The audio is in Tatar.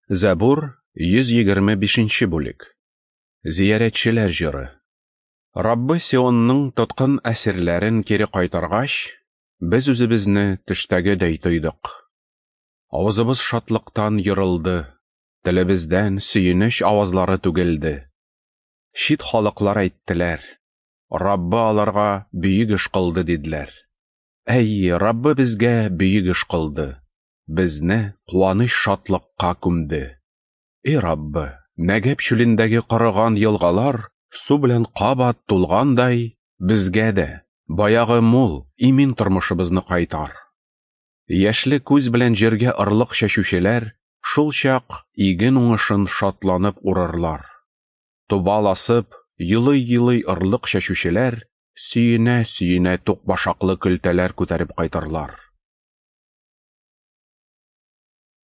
Зәбур, 125 нче бүлек. Зиярәтчеләр җыры. Раббы Сионның тоткын әсирләрен кире кайтаргач, без үзебезне төштәгедәй тойдык. Авызыбыз шатлыктан ерылды, телебездән сөенеч авазлары түгелде. Чит халыклар әйттеләр: Раббы аларга бөек эш кылды, диделәр. Әй, Раббы безгә бөек эш кылды, безне куаныч-шатлыкка күмде. И Раббы, Нәгәб чүлендәге корыган елгалар су белән кабат тулгандай, безгә дә баягы мул, имин тормышыбызны кайтар. Яшьле күз белән җиргә орлык чәчүчеләр шул чак иген уңышын шатланып урырлар. Тубал асып, елый-елый орлык чәчүчеләр сөенә-сөенә тук башаклы көлтәләр күтәреп кайтырлар.